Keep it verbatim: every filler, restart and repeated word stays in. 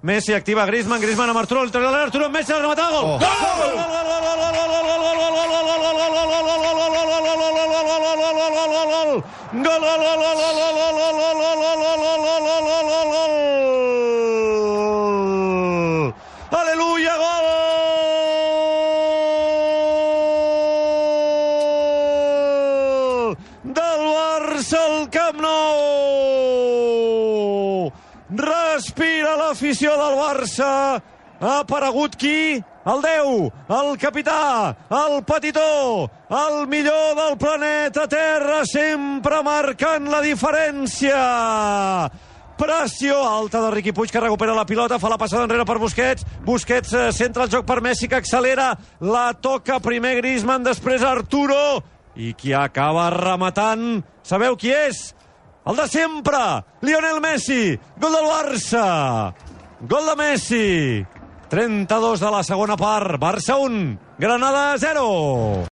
Messi activa Griezmann, Griezmann amb Arturo, el trailer Arturo, Messi, el rematada, gol! Gol! Aleluia, gol! Del Barça al Camp Nou! Respira l'afició del Barça. Ha aparegut qui? El deu, el capità, el petitó, el millor del planeta Terra, sempre marcant la diferència. Pressió alta de Riqui Puig, que recupera la pilota, fa la passada enrere per Busquets. Busquets eh, centra el joc per Messi, que accelera. La toca primer Griezmann, després Arturo. I qui acaba rematant, sabeu qui és? El de sempre, Lionel Messi, gol del Barça, gol de Messi, trenta-dos de la segona part, Barça un, Granada zero.